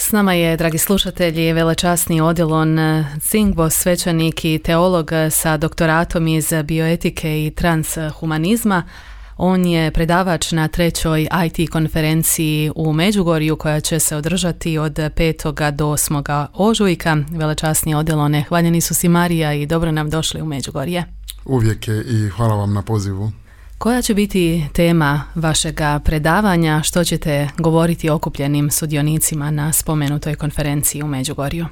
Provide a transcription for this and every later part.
S nama je, dragi slušatelji, velečasni Odilon Cingvos, svećenik i teolog sa doktoratom iz bioetike i transhumanizma. On je predavač na 3. IT konferenciji u Međugorju koja će se održati od 5. do 8. ožujka. Velečasni Odilone, hvaljeni su si Marija i dobro nam došli u Međugorje. Uvijek je i hvala vam na pozivu. Koja će biti tema vašega predavanja? Što ćete govoriti okupljenim sudionicima na spomenutoj konferenciji u Međugorju?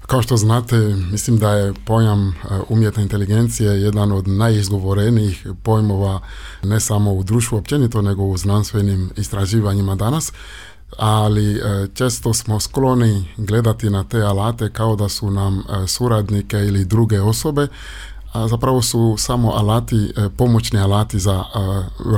Kao što znate, mislim da je pojam umjetne inteligencije jedan od najizgovorenijih pojmova ne samo u društvu općenito, nego u znanstvenim istraživanjima danas, ali često smo skloni gledati na te alate kao da su nam suradnike ili druge osobe, a zapravo su samo alati, pomoćni alati za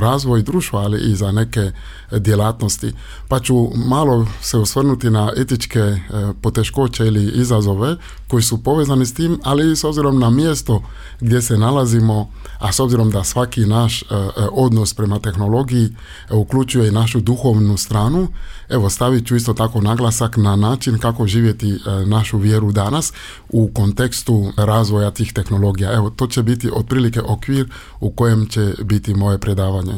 razvoj društva, ali i za neke djelatnosti. Pa ću malo se osvrnuti na etičke poteškoće ili izazove koji su povezani s tim, ali s obzirom na mjesto gdje se nalazimo, a s obzirom da svaki naš odnos prema tehnologiji uključuje i našu duhovnu stranu, evo stavit ću isto tako naglasak na način kako živjeti našu vjeru danas u kontekstu razvoja tih tehnologija. Evo, to će biti otprilike okvir u kojem će biti moje predavanje.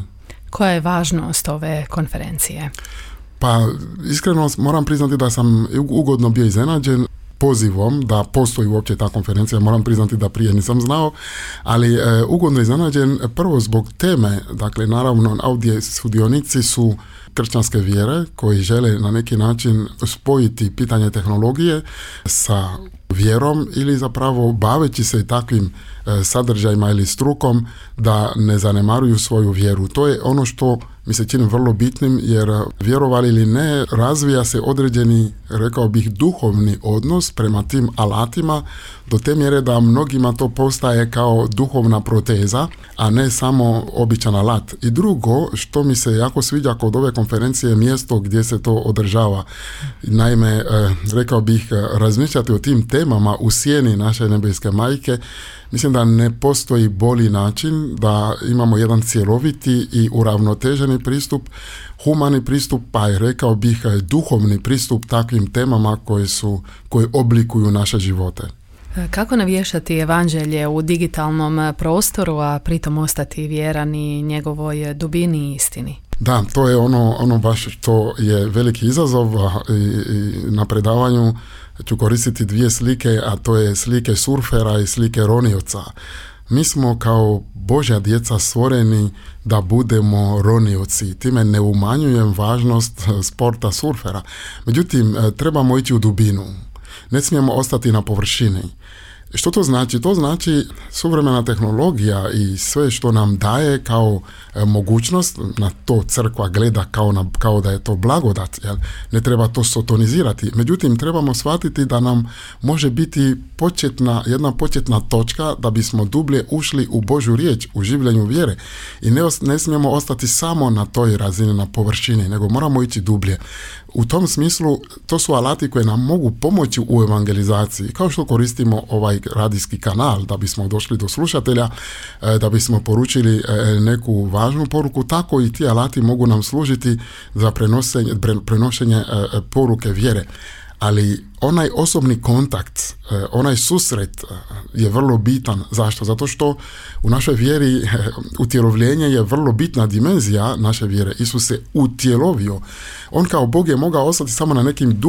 Koja je važnost ove konferencije? Pa, iskreno moram priznati da sam ugodno bio iznenađen pozivom da postoji uopće ta konferencija. Moram priznati da prije nisam znao, ali ugodno iznenađen prvo zbog teme. Dakle, naravno, ovdje sudionici su kršćanske vjere koji žele na neki način spojiti pitanje tehnologije sa vjerom ili zapravo baveći se takvim sadržajima ili strukom da ne zanemaruju svoju vjeru. To je ono što mi se čini vrlo bitnim, jer vjerovali ili ne, razvija se određeni, rekao bih, duhovni odnos prema tim alatima do te mjere da mnogima to postaje kao duhovna proteza, a ne samo običan alat. I drugo, što mi se jako sviđa kod ove konferencije, je mjesto gdje se to održava. Naime, rekao bih, razmišljati o tim temama u sjeni naše nebeske majke, mislim da ne postoji bolji način da imamo jedan cjeloviti i uravnoteženi pristup, humani pristup, pa i rekao bih duhovni pristup takvim temama koje oblikuju naše živote. Kako navješati evanđelje u digitalnom prostoru, a pritom ostati vjeran i njegovoj dubini i istini? Da, to je ono baš što je veliki izazov i na predavanju ću koristiti dvije slike, a to je slike surfera i slike ronioca. Mi smo kao Božja djeca stvoreni da budemo ronioci. Time ne umanjujem važnost sporta surfera. Međutim, trebamo ići u dubinu. Ne smijemo ostati na površini. Što to znači? To znači suvremena tehnologija i sve što nam daje kao mogućnost, na to crkva gleda kao da je to blagodat, jel? Ne treba to sotonizirati. Međutim, trebamo shvatiti da nam može biti jedna početna točka da bismo dublje ušli u Božju riječ, u življenju vjere. I ne smijemo ostati samo na toj razini, na površini, nego moramo ići dublje. U tom smislu, to su alati koje nam mogu pomoći u evangelizaciji. Kao što koristimo ovaj radijski kanal da bismo došli do slušatelja, da bismo poručili neku važnu poruku, tako i ti alati mogu nam služiti za prenošenje poruke vjere. Ali onaj osobni kontakt, onaj susret je vrlo bitan. Zašto? Zato što u našoj vjeri utjelovljenje je vrlo bitna dimenzija naše vjere. Isus se utjelovio. On kao Bog je mogao ostati samo na nekim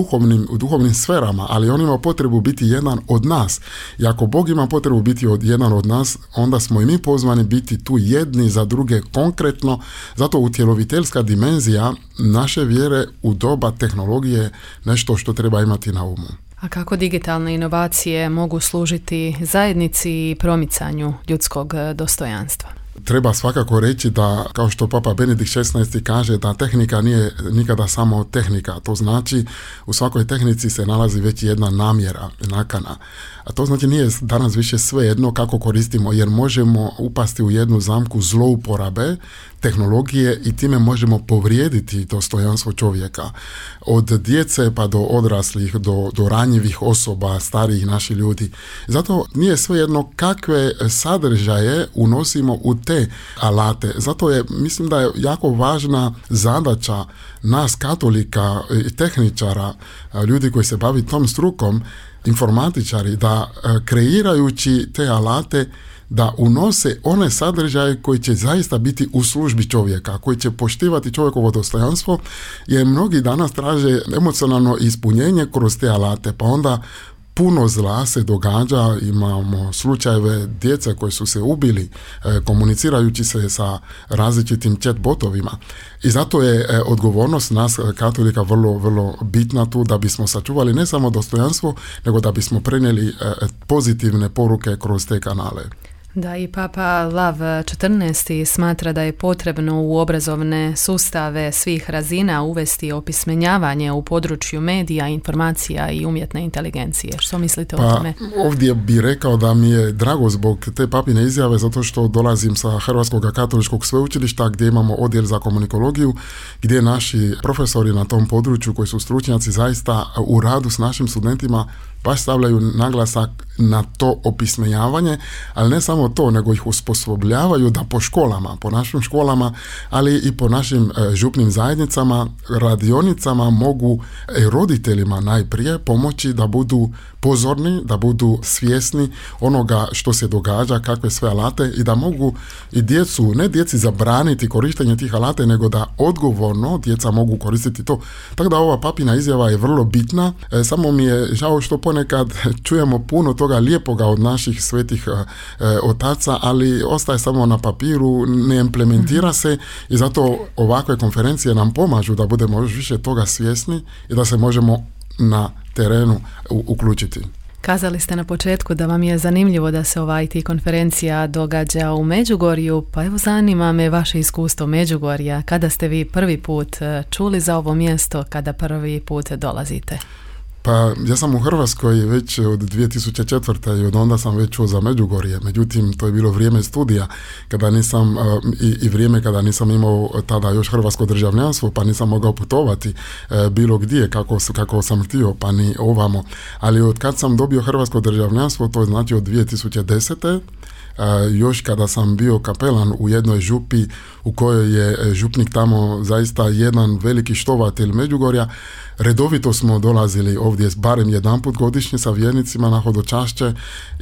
duhovnim sferama, ali on ima potrebu biti jedan od nas. I ako Bog ima potrebu biti jedan od nas, onda smo i mi pozvani biti tu jedni za druge konkretno. Zato utjeloviteljska dimenzija naše vjere u doba tehnologije nešto što treba imati na umu. A kako digitalne inovacije mogu služiti zajednici i promicanju ljudskog dostojanstva? Treba svakako reći da, kao što Papa Benedikt XVI kaže, da tehnika nije nikada samo tehnika. To znači, u svakoj tehnici se nalazi već jedna namjera, nakana. A to znači nije danas više sve jedno kako koristimo, jer možemo upasti u jednu zamku zlouporabe tehnologije i time možemo povrijediti dostojanstvo čovjeka. Od djece pa do odraslih, do ranjivih osoba, starijih naših ljudi. Zato nije sve jedno kakve sadržaje unosimo u te alate. Zato mislim da je jako važna zadaća nas katolika i tehničara, ljudi koji se bavi tom strukom, informatičari, da kreirajući te alate da unose one sadržaje koji će zaista biti u službi čovjeka, koji će poštivati čovjekovo dostojanstvo, jer mnogi danas traže emocionalno ispunjenje kroz te alate, pa onda puno zla se događa, imamo slučajeve djece koji su se ubili komunicirajući se sa različitim chat botovima. I zato je odgovornost nas katolika vrlo, vrlo bitna tu da bismo sačuvali ne samo dostojanstvo, nego da bismo prenijeli pozitivne poruke kroz te kanale. Da, i Papa Lav XIV smatra da je potrebno u obrazovne sustave svih razina uvesti opismenjavanje u području medija, informacija i umjetne inteligencije. Što mislite o tome? Ovdje bih rekao da mi je drago zbog te papine izjave, zato što dolazim sa Hrvatskog katoličkog sveučilišta gdje imamo odjel za komunikologiju, gdje naši profesori na tom području koji su stručnjaci zaista u radu s našim studentima baš stavljaju naglasak na to opismenjavanje, ali ne samo to, nego ih osposobljavaju da po školama, po našim školama, ali i po našim župnim zajednicama, radionicama mogu roditeljima najprije pomoći da budu pozorni, da budu svjesni onoga što se događa, kakve sve alate i da mogu i ne djeci zabraniti korištenje tih alate, nego da odgovorno djeca mogu koristiti to. Tako da ova papina izjava je vrlo bitna, samo mi je žao što ponekad čujemo puno toga lijepoga od naših svetih otaca, ali ostaje samo na papiru, ne implementira se i zato ovakve konferencije nam pomažu da budemo još više toga svjesni i da se možemo na terenu uključiti. Kazali ste na početku da vam je zanimljivo da se ova IT konferencija događa u Međugorju, pa evo zanima me vaše iskustvo Međugorja. Kada ste vi prvi put čuli za ovo mjesto, kada prvi put dolazite? Pa ja sam u Hrvatskoj već od 2004. i od onda sam već čuo za Međugorje. Međutim, to je bilo vrijeme studija kada nisam i vrijeme kada nisam imao tada još hrvatsko državljanstvo, pa nisam mogao putovati bilo gdje kako sam htio, pa ni ovamo. Ali od kad sam dobio hrvatsko državljanstvo, to je znači od 2010. Još kada sam bio kapelan u jednoj župi u kojoj je župnik tamo zaista jedan veliki štovatelj Međugorja, redovito smo dolazili ovdje barem jedanput godišnje sa vjernicima na hodočašće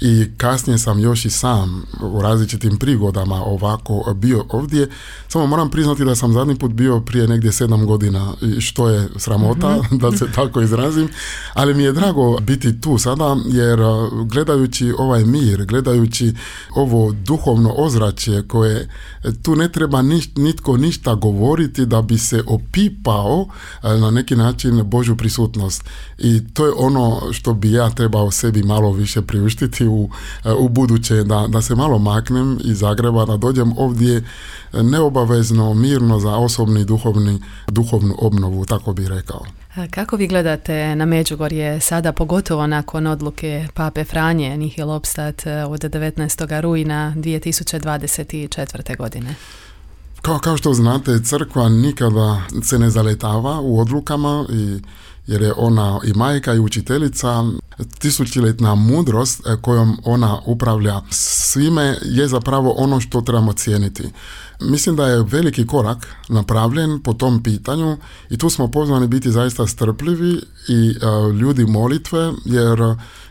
i kasnije sam još i sam u različitim prigodama ovako bio ovdje. Samo moram priznati da sam zadnji put bio prije negdje 7 godina, što je sramota da se tako izrazim, ali mi je drago biti tu sada jer gledajući ovaj mir, gledajući ovo duhovno ozračje koje tu ne treba nitko ništa govoriti da bi se opipao na neki način Božju prisutnost. I to je ono što bi ja trebao sebi malo više priuštiti u buduće, da se malo maknem iz Zagreba, da dođem ovdje neobavezno, mirno za osobni duhovnu obnovu, tako bih rekao. Kako vi gledate na Međugorje sada, pogotovo nakon odluke Pape Franje Nihil obstat od 19. rujna 2024. godine? Kao što znate, crkva nikada se ne zaletava u odlukama jer je ona i majka i učiteljica. Tisućljetna mudrost kojom ona upravlja svime je zapravo ono što trebamo cijeniti. Mislim da je veliki korak napravljen po tom pitanju i tu smo pozvani biti zaista strpljivi i ljudi molitve, jer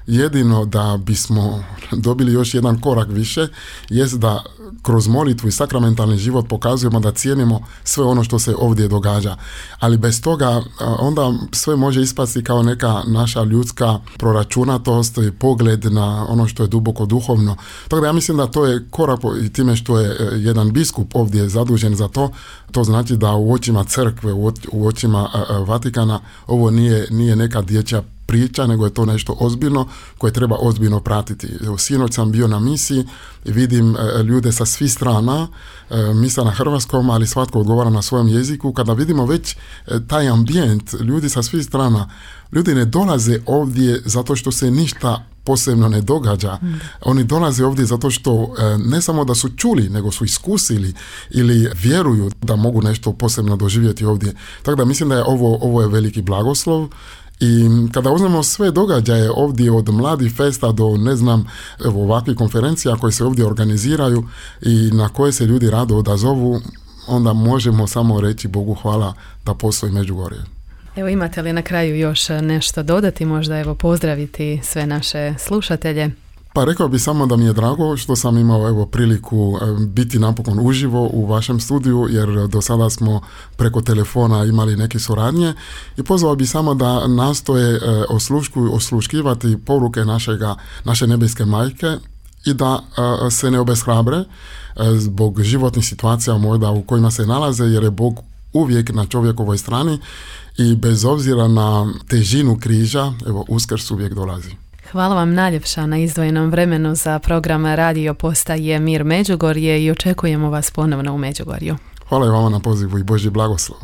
jedino da bismo dobili još jedan korak više jest da kroz molitvu i sakramentalni život pokazujemo da cijenimo sve ono što se ovdje događa. Ali bez toga onda sve može ispasti kao neka naša ljudska proračunatost i pogled na ono što je duboko duhovno. Tako da ja mislim da to je korak i time što je jedan biskup ovdje zadužen za to znači da u očima crkve, u očima Vatikana ovo nije neka dječja priča, nego je to nešto ozbiljno koje treba ozbiljno pratiti. Sinoć sam bio na misiji i vidim ljude sa svih strana, misa na hrvatskom, ali svatko odgovara na svojem jeziku. Kada vidimo već taj ambijent, ljudi sa svih strana, ljudi ne dolaze ovdje zato što se ništa posebno ne događa. Oni dolaze ovdje zato što ne samo da su čuli, nego su iskusili ili vjeruju da mogu nešto posebno doživjeti ovdje. Tako da mislim da je ovo je veliki blagoslov I kada uzmemo sve događaje ovdje od mladih festa do ovakvih konferencija koje se ovdje organiziraju i na koje se ljudi rado odazovu, onda možemo samo reći Bogu hvala da postoji Međugorje. Evo, imate li na kraju još nešto dodati, možda pozdraviti sve naše slušatelje? Pa rekao bih samo da mi je drago što sam imao priliku biti napokon uživo u vašem studiju, jer do sada smo preko telefona imali neke suradnje, i pozvao bih samo da nastoje osluškivati poruke naše nebeske majke i da se ne obeshrabre zbog životnih situacija možda u kojima se nalaze, jer je Bog uvijek na čovjekovoj strani i bez obzira na težinu križa, Uskrs uvijek dolazi. Hvala vam najljepša na izdvojenom vremenu za program Radio Postaje Mir Međugorje i očekujemo vas ponovno u Međugorju. Hvala i vama na pozivu i Božji blagoslov.